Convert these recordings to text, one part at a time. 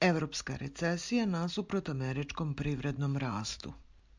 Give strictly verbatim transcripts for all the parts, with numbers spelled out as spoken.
Evropska recesija nasuprot američkom privrednom rastu.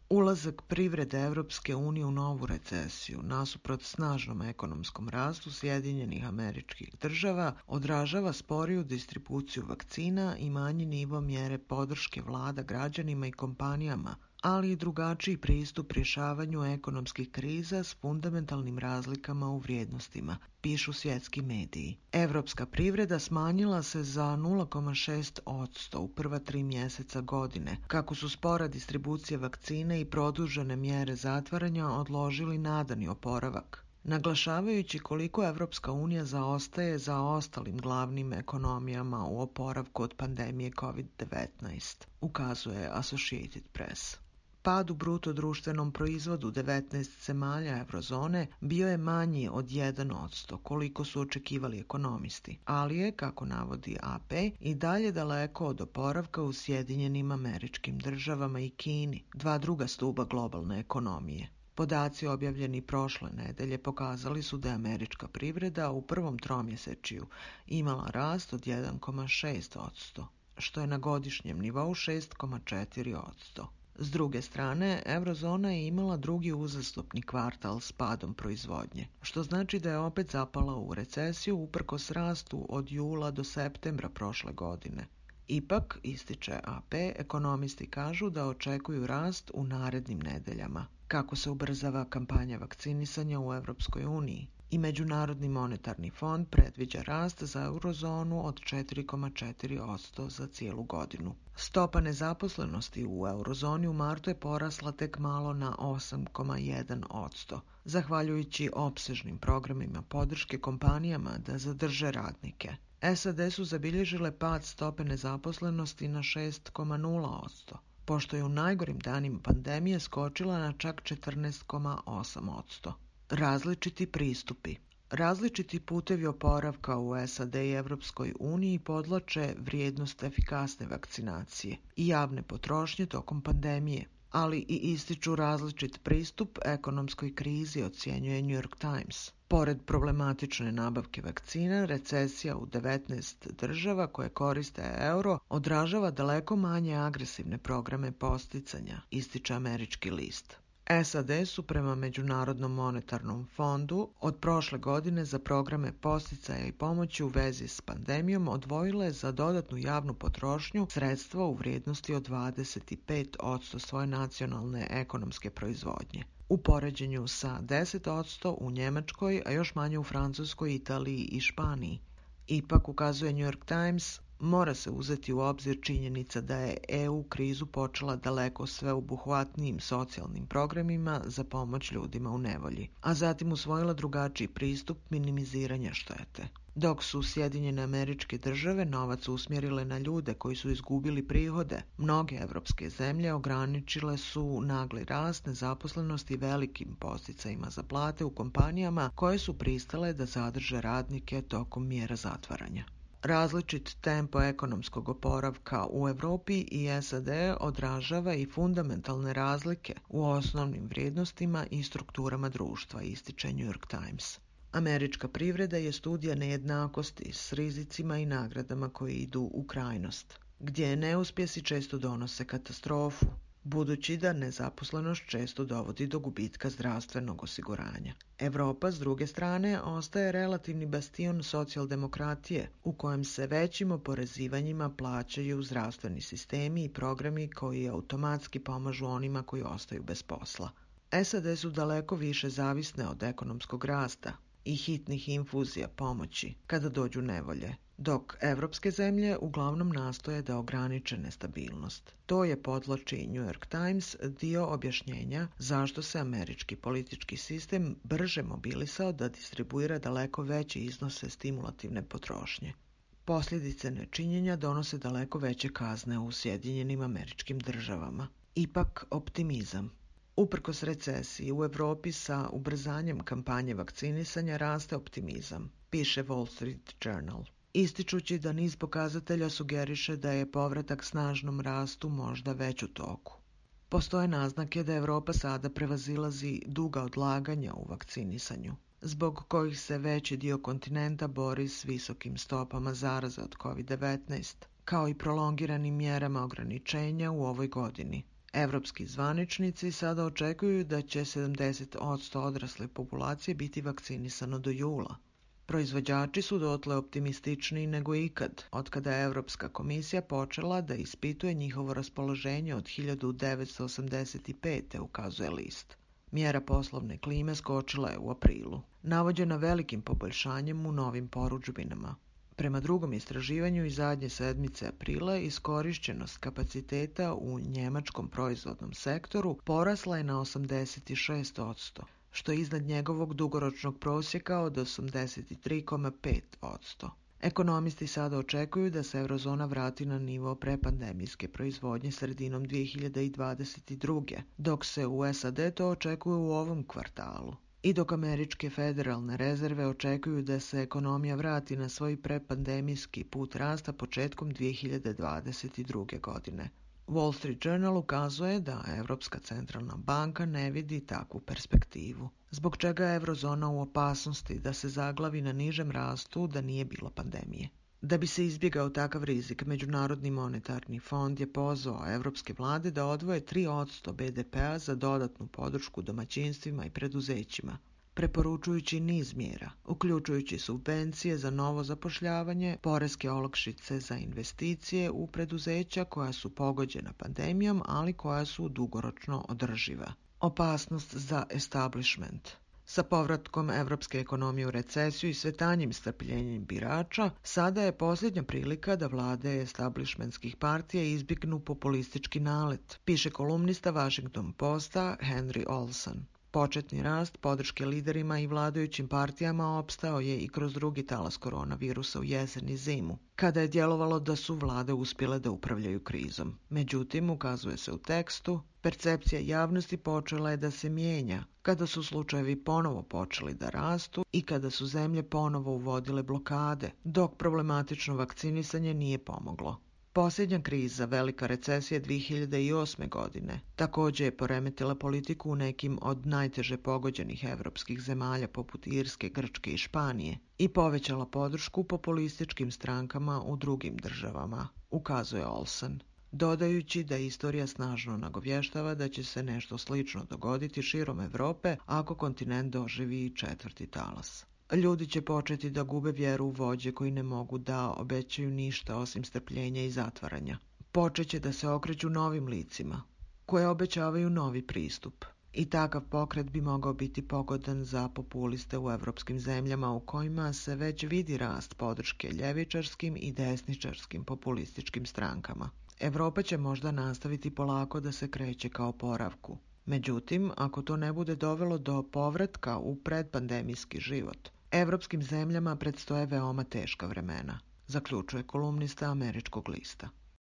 Ulazak privrede Evropske unije u novu recesiju nasuprot snažnom ekonomskom rastu Sjedinjenih Američkih Država odražava sporiju distribuciju vakcina i manji nivo mjere podrške vlada građanima i kompanijama, ali i drugačiji pristup rješavanju ekonomskih kriza s fundamentalnim razlikama u vrijednostima, pišu svjetski mediji. Evropska privreda smanjila se za nula zarez šest posto u prva tri mjeseca godine, kako su spora distribucija vakcine i produžene mjere zatvaranja odložili nadani oporavak, naglašavajući koliko Evropska unija zaostaje za ostalim glavnim ekonomijama u oporavku od pandemije kovid devetnaest, ukazuje Associated Press. Pad u bruto društvenom proizvodu devetnaest zemalja eurozone bio je manji od jedan posto, koliko su očekivali ekonomisti, ali je, kako navodi A P, i dalje daleko od oporavka u Sjedinjenim Američkim Državama i Kini, dva druga stuba globalne ekonomije. Podaci objavljeni prošle nedelje pokazali su da je američka privreda u prvom tromjesečju imala rast od jedan zarez šest posto, što je na godišnjem nivou šest zarez četiri posto. S druge strane, eurozona je imala drugi uzastopni kvartal s padom proizvodnje, što znači da je opet zapala u recesiju uprkos rastu od jula do septembra prošle godine. Ipak, ističe A P, ekonomisti kažu da očekuju rast u narednim nedeljama, kako se ubrzava kampanja vakcinisanja u Evropskoj uniji. I Međunarodni monetarni fond predviđa rast za eurozonu od četiri zarez četiri posto za cijelu godinu. Stopa nezaposlenosti u eurozoni u martu je porasla tek malo na osam zarez jedan posto, zahvaljujući opsežnim programima podrške kompanijama da zadrže radnike. S A D su zabilježile pad stope nezaposlenosti na šest zarez nula posto, pošto je u najgorim danima pandemije skočila na čak četrnaest zarez osam posto. Različiti pristupi. Različiti putevi oporavka u S A D i Evropskoj uniji podlače vrijednost efikasne vakcinacije i javne potrošnje tokom pandemije, ali i ističu različit pristup ekonomskoj krizi, ocjenjuje New York Times. Pored problematične nabavke vakcina, recesija u devetnaest država koje koriste euro odražava daleko manje agresivne programe posticanja, ističe američki list. S A D su prema Međunarodnom monetarnom fondu od prošle godine za programe posticaja i pomoći u vezi s pandemijom odvojile za dodatnu javnu potrošnju sredstva u vrijednosti od dvadeset pet posto svoje nacionalne ekonomske proizvodnje, u poređenju sa deset posto u Njemačkoj, a još manje u Francuskoj, Italiji i Španiji. Ipak, ukazuje New York Times, mora se uzeti u obzir činjenica da je E U krizu počela daleko sveobuhvatnijim socijalnim programima za pomoć ljudima u nevolji, a zatim usvojila drugačiji pristup minimiziranja štete. Dok su Sjedinjene Američke Države novac usmjerile na ljude koji su izgubili prihode, mnoge evropske zemlje ograničile su nagli rast nezaposlenosti velikim posticajima za plate u kompanijama koje su pristale da zadrže radnike tokom mjera zatvaranja. Različit tempo ekonomskog oporavka u Europi i S A D odražava i fundamentalne razlike u osnovnim vrijednostima i strukturama društva, ističe New York Times. Američka privreda je studija nejednakosti s rizicima i nagradama koji idu u krajnost, gdje neuspjesi često donose katastrofu, budući da nezaposlenost često dovodi do gubitka zdravstvenog osiguranja. Europa, s druge strane, ostaje relativni bastion socijaldemokratije, u kojem se većim oporezivanjima plaćaju zdravstveni sistemi i programi koji automatski pomažu onima koji ostaju bez posla. S A D su daleko više zavisne od ekonomskog rasta i hitnih infuzija pomoći kada dođu nevolje, dok evropske zemlje uglavnom nastoje da ograniče nestabilnost. To je, podvlači New York Times, dio objašnjenja zašto se američki politički sistem brže mobilisao da distribuira daleko veće iznose stimulativne potrošnje. Posljedice nečinjenja donose daleko veće kazne u Sjedinjenim Američkim Državama. Ipak optimizam. Uprkos recesiji u Europi sa ubrzanjem kampanje vakcinisanja raste optimizam, piše Wall Street Journal, ističući da niz pokazatelja sugeriše da je povratak snažnom rastu možda već u toku. Postoje naznake da Europa sada prevazilazi duga odlaganja u vakcinisanju, zbog kojih se veći dio kontinenta bori s visokim stopama zaraze od kovid devetnaest, kao i prolongiranim mjerama ograničenja u ovoj godini. Evropski zvaničnici sada očekuju da će sedamdeset posto odrasle populacije biti vakcinisano do jula. Proizvođači su dotle optimističniji nego ikad, otkada je Evropska komisija počela da ispituje njihovo raspoloženje od hiljadu devetsto osamdeset pete. ukazuje list. Mjera poslovne klime skočila je u aprilu, navođena velikim poboljšanjem u novim porudžbinama. Prema drugom istraživanju iz zadnje sedmice aprila, iskorišćenost kapaciteta u njemačkom proizvodnom sektoru porasla je na osamdeset šest posto, što je iznad njegovog dugoročnog prosjeka od osamdeset tri zarez pet posto. Ekonomisti sada očekuju da se eurozona vrati na nivo prepandemijske proizvodnje sredinom dvije hiljade dvadeset druge. dok se u S A D to očekuje u ovom kvartalu. I dok američke federalne rezerve očekuju da se ekonomija vrati na svoj prepandemijski put rasta početkom dvije hiljade dvadeset druge. godine. Wall Street Journal ukazuje da Evropska centralna banka ne vidi takvu perspektivu, zbog čega je eurozona u opasnosti da se zaglavi na nižem rastu da nije bilo pandemije. Da bi se izbjegao takav rizik, Međunarodni monetarni fond je pozvao evropske vlade da odvoje tri posto B D P-a za dodatnu podršku domaćinstvima i preduzećima, preporučujući niz mjera, uključujući subvencije za novo zapošljavanje, poreske olakšice za investicije u preduzeća koja su pogođena pandemijom, ali koja su dugoročno održiva. Opasnost za establishment. Sa povratkom evropske ekonomije u recesiju i sve tanjim strpljenjem birača, sada je posljednja prilika da vlade establishmentskih partija izbjegnu populistički nalet, piše kolumnista Washington Posta Henry Olson. Početni rast podrške liderima i vladajućim partijama opstao je i kroz drugi talas koronavirusa u jesen i zimu, kada je djelovalo da su vlade uspjele da upravljaju krizom. Međutim, ukazuje se u tekstu, percepcija javnosti počela je da se mijenja kada su slučajevi ponovo počeli da rastu i kada su zemlje ponovo uvodile blokade, dok problematično vakcinisanje nije pomoglo. Posljednja kriza, velika recesija dvije hiljade osme. godine, također je poremetila politiku u nekim od najteže pogođenih evropskih zemalja poput Irske, Grčke i Španije i povećala podršku populističkim strankama u drugim državama, ukazuje Olson, dodajući da istorija snažno nagovještava da će se nešto slično dogoditi širom Europe ako kontinent doživi četvrti talas. Ljudi će početi da gube vjeru u vođe koji ne mogu da obećaju ništa osim strpljenja i zatvaranja. Počeće da se okreću novim licima, koje obećavaju novi pristup. I takav pokret bi mogao biti pogodan za populiste u evropskim zemljama u kojima se već vidi rast podrške ljevičarskim i desničarskim populističkim strankama. Evropa će možda nastaviti polako da se kreće ka oporavku. Međutim, ako to ne bude dovelo do povratka u predpandemijski život, evropskim zemljama predstoje veoma teška vremena, zaključuje kolumnista američkog lista.